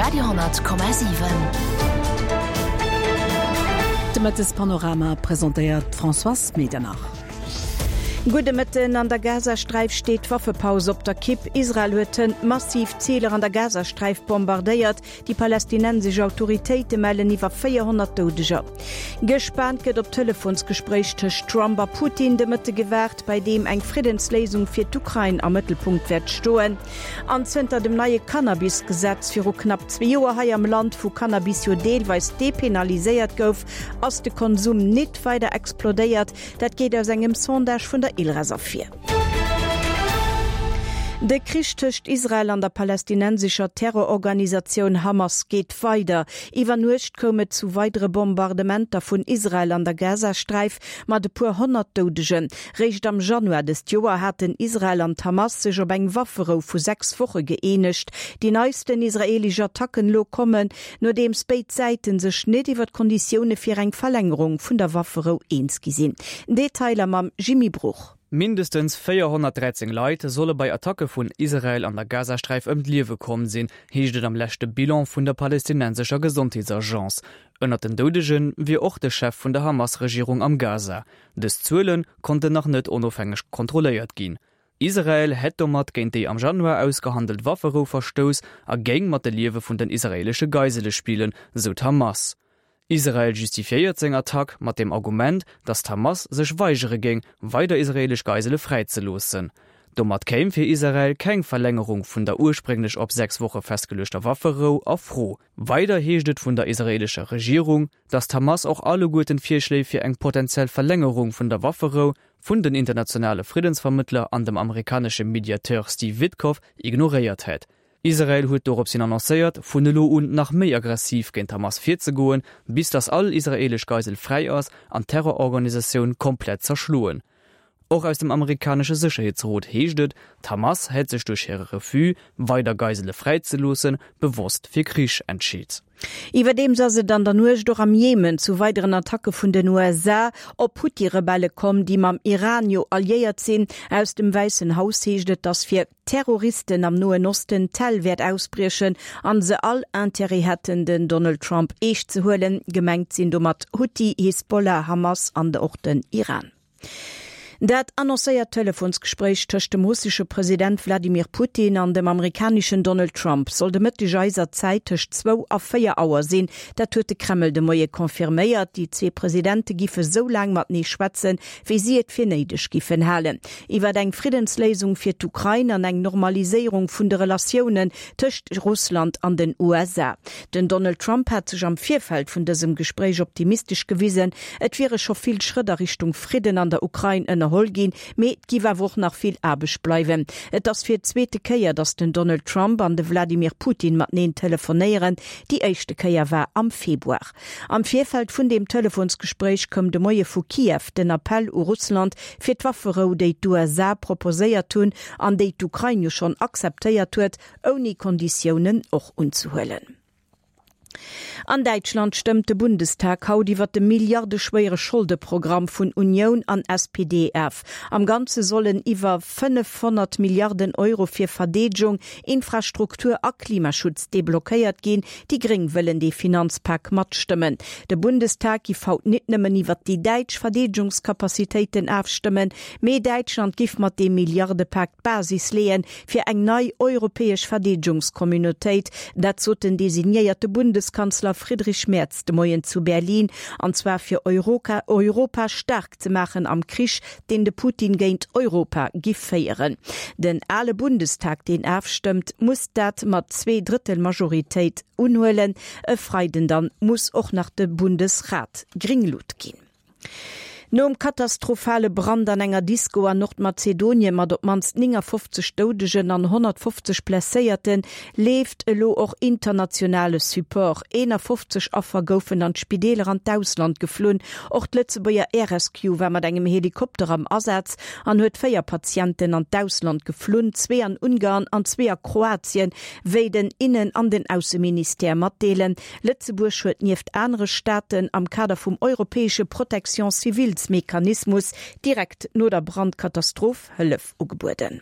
Radio,7. De Mëttespanorama presentéiert d'Françoise Medernach. Gudde Mëtten. An der Gazasträif steet d'Waffepaus op der Kipp. Israel huet hënt massiv Ziler an der Gazasträif bombardéiert. Déi palästinensesch Autoritéite mellen iwwer 400 Doudeger. Gespaant gëtt op d'Telefonsgespréich tëscht Trump a Putin de Mëtte gewaart, bei deem eng Friddensléisung fir d'Ukrain am Mëttelpunkt wäert stoen. An zënter dem neie Cannabis-Gesetz viru knapp zwee Joer hei am Land, wou Cannabis jo deelweis depenaliséiert gouf, ass de Konsum nit weider explodéiert. Dat geet aus engem Sondage vun der ILRES ervir. De Krich tëscht Israel an der palästinensescher Terrororganisatioun Hamas geet weider. Iwwer Nuecht koum et zu weidere Bombardementer vun Israel an der Gazasträif mat e puer 100 Doudegen. Réischt am Januar dëst Joer haten Israel an d'Hamas sech op eng Wafferou vu 6 Woche gëeenegt. Déi neisten israeelesch Attacken elo kommen, nodeems béid Säite sech net iwwer d'Konditioune fir eng Verlängerung vun der Wafferou eens gi sinn. Detailer mam Jimmy Bruch. Mindestens 413 Leit solle bei Attacke vun Israel an der Gazasträif ëm d'Liewe komm sinn, heescht et am leschte Bilan vun der palästinensescher Gesondheetsagence. Ënnert den Doudege wier och de Chef vun der Hamas-Regierung am Gaza. Dës Zuele konnten nach net onofhängeg kontrolléiert ginn. Israel hätt domat géint déi am Januar ausgehandelt Wafferou verstouss a géing mat de Liewe vun den israeelesche Geisele spillen, sou d'Hamas. Israel justifiéiert seng Attack mat dem Argument, datt d'Hamas sech weigere géing, weider israeelesch Geisele fräizeloossen. Domat kéim fir Israel keng Verlängerung vun der ursprénglech op 6 Woche festgeluechter Wafferou a Fro. Weider heescht et vun der israeelescher Regierung, datt d'Hamas och alleguerten d'Virschléi fir eng potentiell Verlängerung vun der Wafferou vun den internationale Friddensvermëttler an dem amerikanesche Mediateur Steve Witkoff ignoréiert hätt. Israel huet dorops hin annoncéiert, vun elo un nach méi aggressiv géint d'Hamas virzegoen, bis datt all israeelesch Geisel fräi ass an d'Terrororganisatioun komplett zerschloen. Och aus dem amerikanesche Sécherheetsrot heescht et, d'Hamas hätt sech duerch hire Refus, weider Geisele fräizeloossen, bewosst fir Krich entscheet. Iwwerdeems ass et an der Nuecht och am Jemen zu weideren Attacke vun den USA op Huthi-Rebelle komm, déi mam Iran jo alliéiert sinn. Aus dem Wäissen Haus heescht et, datt fir Terroristen am Noen Osten d'Hell wäert ausbriechen an se all Intérêt hätten, den Donald Trump eescht ze huelen. Gemengt sinn domat Huthi, Hisbollah, Hamas an och den Iran. Dat annoncéiert Telefonsgespréich tëscht dem russesche President Wladimir Putin an dem amerikaneschen Donald Trump soll de Mëtteg eiser Zäit tëscht zwou a 4 Auer sinn. Dat huet de Kreml de Moie confirméiert. Déi zwee Presidente giffe sou laang matenee schwätzen, wéi si et fir néideg giffen halen. Iwwer eng Friddensléisung fir d'Ukrain an eng Normaliséierung vun de Relatiounen tëscht Russland an den USA. Den Donald Trump hat sech am Virfeld vun dësem Gespréich optimistesch gewisen. Et wiere scho vill Schrëtt a Richtung Fridden an der Ukrain ënnerholl ginn, mee et giff awer och nach vill Aarbecht bleiwen. Et ass fir d'zweete Kéier, datt den Donald Trump an de Wladimir Putin mateneen telefonéieren. Déi éischte Kéier war am Februar. Am Virfeld vun deem Telefonsgespréich koum de Moie vu Kiew den Appell u Russland, fir d'Wafferou, déi d'USA proposéiert hunn an déi d'Ukrain jo schonn akzeptéiert huet, ouni Konditiounen och unzehuelen. An Däitschland stëmmt de Bundestag haut iwwer de milliardeschwéiere Scholdeprogramm vun Unioun an SPD of. Am Ganze sollen iwwer 500 Milliarden Euro fir Verdeedegung, Infrastruktur a Klimaschutz deblockéiert ginn. Déi Gréng wëllen dee Finanzpak matstëmmen. De Bundestag giff haut nit nëmmen iwwert déi däitsch Verdeedegungscapacitéiten afstëmmen, mee Däitschland giff mat deem Milliardepak d'Basis leeën fir eng nei europäesch Verdeedegungscommunautéit. Dat sot den designéierte Bundeskanzler Friedrich Merz de Moien zu Berlin, an zwar fir Europa staark ze maachen am Krich, deen de Putin géint Europa giff féieren. Den ale Bundestag, deen afstëmmt, muss dat mat Zweedrëttel-Majoritéit unhuelen. E Freiden dann muss och nach de Bundesrat gring Lut ginn. Nom katastrophale Brand an enger Disco an Nordmazedonien mat op d'mannst 59 Doudegen an 150 Blesséierten, leeft elo och internationale Support. 51 Affer goufen an d'Spideeler an d'Ausland geflunn. Och d'Lëtzebuerger Air Rescue war mat engem Helikopter am Asaz an huet 4 Patienten an d'Ausland geflunn, zwee an Ungarn an zwee a Kroatien, wéi den Innen an den Ausseministère matdeelen. Lëtzebuerg huet nieft anere Staaten am Kader vum europäesche Protection civiles-Mechanismus direkt no der Brandkatastroph Hëllef ugebueden.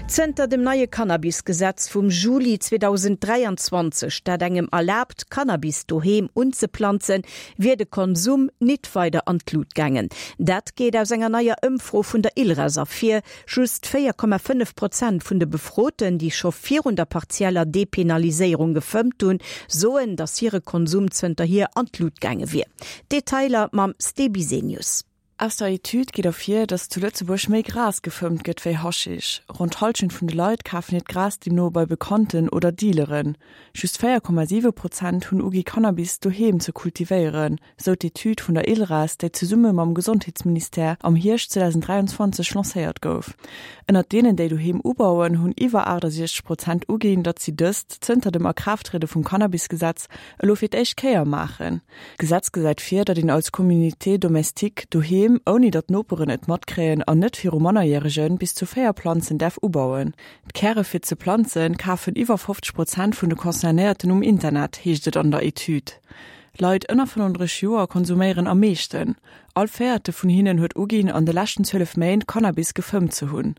Zënter dem neie Cannabisgesetz vum Juli 2023, dat engem erlaabt, Cannabis doheem unzeplanzen, wier de Konsum nit weider an d'Lut gaangen. Dat geet aus enger neier Ëmfro vun der ILRAS ervir. Just 4,5 Prozent vun de Befroten, déi scho virun der partieller Depenaliséierung gefëmmt hunn, soen, datt hire Konsum zënterhier an d'Lut gaange wier. Detailer mam Ste Bisenius. Aus der Etüd geet ervir, datt zu Lëtzebuerg méi Gras gefëmmt gëtt wéi Haschisch. Ronn d'Hallschent vun de Leit kafen hiert Gras deemno bei Bekannten oder Dealeren. Just 4,7 Prozent hunn ugi Cannabis doheem ze kultivéieren, sou d'Etüd vun der ILRAS, déi zesumme mam Gesondheetsministère am Hierscht 2023 lancéiert gouf. Ënnert deenen, déi doheem ubauen, hunn iwwer 68 Prozent uginn, datt si dëst zënter dem Akraafttriede vum Cannabisgesetz elo fir d'éischt Kéier maachen. D'Gesetz gesäit vir, datt een als Communauté domestique doheem, ouni datt d'Noperen et matkréien an net viru Mannerjäregen, bis zu 4 Planzen däerf ubauen. D'Käre fir ze planzen kafen iwwer 50 Prozent vun de Concernéierten um Internet, heescht et an der Etüd. Leit ënner 35 Joer konsuméieren am meeschten. All Véierte vun hinnen huet uginn, an de leschten 12 Méint Cannabis gefëmmt ze hunn.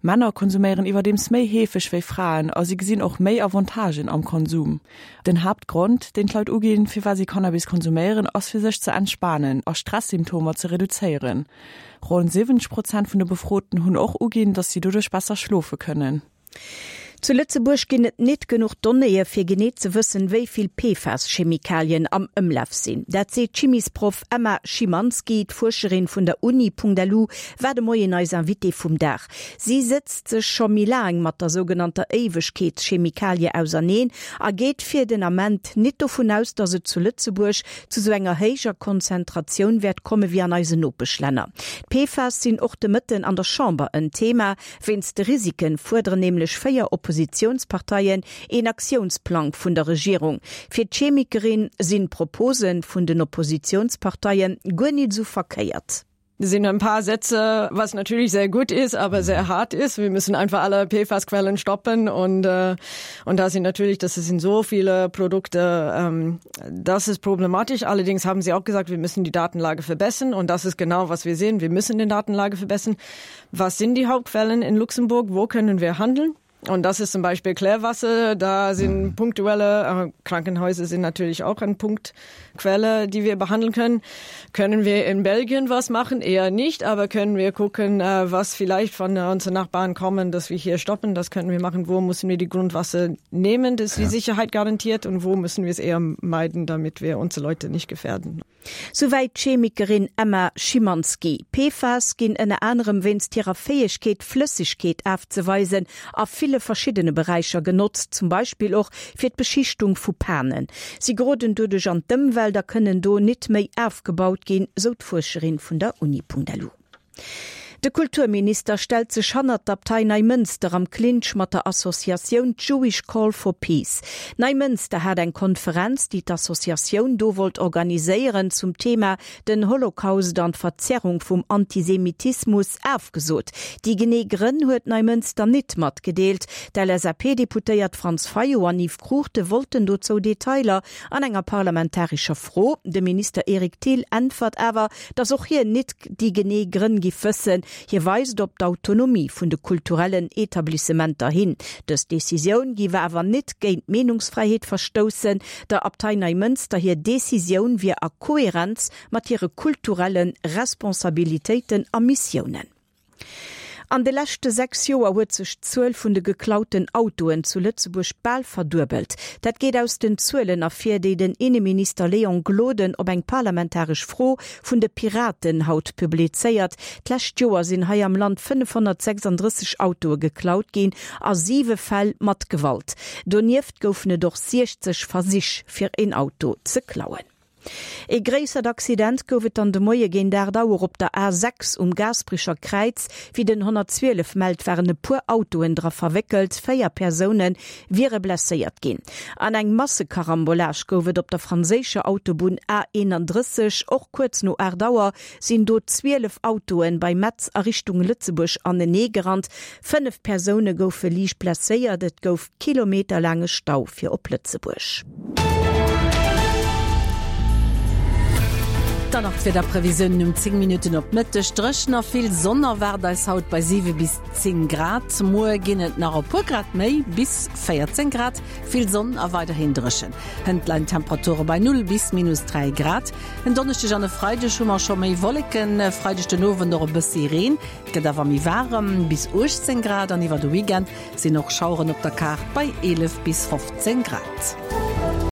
Männer konsuméieren iwwerdeems méi heefeg wéi Fraen a si gesinn och méi Avantagen am Konsum. Den Haaptgrond, deen d'Leit uginn, firwat si Cannabis konsuméieren, ass fir sech ze entspanen a Stress-Symptomer ze reduzéieren. Ronn 70 Prozent vun de Befroten hunn och uginn, datt si doduerch besser schlofe kënnen. Zu Lëtzebuerg ginn et nit genuch Donnéeë fir genee ze wëssen, wéi vill PFAS-Chemikalien am Ëmlaf sinn. Dat seet d'Chimisproff Emma Schymanski. D'Fuerscherin vun der Uni.lu war de Moien eis Invitée vum Dag. Si sëtzt sech scho méi laang mat der sougenannter Éiwegkeetschemikalie auserneen a geet fir den Ament nit dovun aus, datt et zu Lëtzebuerg zu sou enger héijer Konzentratioun wäert komme wéi an eisen Nopeschlänner. D'PFAS sinn och de Mëtten an der Chamber en Thema. Wéinst de Risiken fuerderen nämlech 4 Oppositiounsparteien een Aktiounsplang vun der Regierung. Fir d'Chemikerin sinn d'Propose vun den Oppositiounsparteie guer nit esou verkéiert. Sind ein paar Sätze, was natürlich sehr gut ist, aber sehr hart ist. Wir müssen einfach alle PFAS-Quellen stoppen und, äh, und da sind natürlich, das sind so viele Produkte, ähm, das ist problematisch. Allerdings haben sie auch gesagt, wir müssen die Datenlage verbessern und das ist genau, was wir sehen. Wir müssen den Datenlage verbessern. Was sind die Hauptquellen in Luxemburg? Wo können wir handeln? Und das ist zum Beispiel Klärwasser, da sind mhm. punktuelle äh, Krankenhäuser sind natürlich auch ein Punktquelle, die wir behandeln können. Können wir in Belgien was machen? Eher nicht, aber können wir gucken, äh, was vielleicht von äh, unseren Nachbarn kommen, dass wir hier stoppen, das können wir machen. Wo müssen wir die Grundwasser nehmen, dass die ja. Sicherheit garantiert und wo müssen wir es eher meiden, damit wir unsere Leute nicht gefährden? Souwäit d'Chemikerin Emma Schymanski. PFAS ginn ënner anerem wéinst hirer Fäegkeet, Flëssegkeet afzeweisen, a ville verschiddene Beräicher genotzt, zum Beispill och fir d'Beschichtung vu Panen. Si geroden doduerch an d'Ëmwelt a kënnen do nit méi afgebaut ginn, sou d'Fuerscherin vun der Uni.lu. De Kulturminister stellt sech hannert d'Abtei Neimënster am Clinch mat der Associatioun Jewish Call for Peace. Neimënster hat eng Konferenz, déi d'Associatioun do wollt organiséieren, zum Thema den Holocaust an d'Verzerrung vum Antisemitismus afgesot. Déi genee Grënn huet Neimënster nit matgedeelt. D'LSAP-Deputéiert Franz Fayot an Yves Cruchten wollten dozou Detailer an enger parlamentarescher Fro. De Minister Eric Thill äntwert awer, datt och hien nit déi genee Grënn giff wëssen. Hie weist op d'Autonomie vun de kulturellen Etablissementer hin. Dës Decisioun giff awer nit géint d'Meenungsfräiheet verstoussen. Der Abtei Neimënster hir Decisioun wier a Koherenz mat hire kulturelle Responsabilitéiten a Missiounen. An de leschte 6 Joer huet sech d'Zuel vun de geklauten Autoen zu Lëtzebuerg bal verduebelt. Dat geet aus den Zuelen ervir, déi den Inneminister Léon Gloden op eng parlamentaresch Fro vun de Piraten haut publizéiert. D'lescht Joer sinn hei am Land 536 Autoe geklaut ginn, a siwe Fäll mat Gewalt. Donieft goufen et och 60 Versich, fir een Auto ze klauen. Ee gréissert Accident gouf et dann de Moie géint 8 Auer op der A 6 um Gaasperecher Kräiz. Wéi den 112 mellt, waren e puer Autoen dra verwéckelt, 4 Persoune wiere blesséiert ginn. An eng Massekarambolage gouf et op der franséischer Autobunn A 31. Och kuerz no 8 Auer sinn do 12 Autoen bei Metz a Richtung Lëtzebuerg anenee gerannt. 5 Persoune goufe liicht blesséiert, et gouf kilometerlaange Stau fir op Lëtzebuerg. Dann nach d'Wiederprevisiounen um 10 Minutten op Mëtteg. Dréchen a vill Sonn erwaart eis haut bei 7 bis 10 Grad. Muer ginn et nach e puer Grad méi, bis 14 Grad. Vill Sonn a weiderhin dréchen. Hënt leien d'Temperature bei 0 bis minus 3 Grad. En Donneschdeg an e Freideg hu mer scho méi Wolleken, e Freideg den Owend och e bëssi Reen. Et gëtt awer méi waarem, bis 18 Grad an iwwer de Weekend sinn och Schaueren op der Kaart bei 11 bis 15 Grad.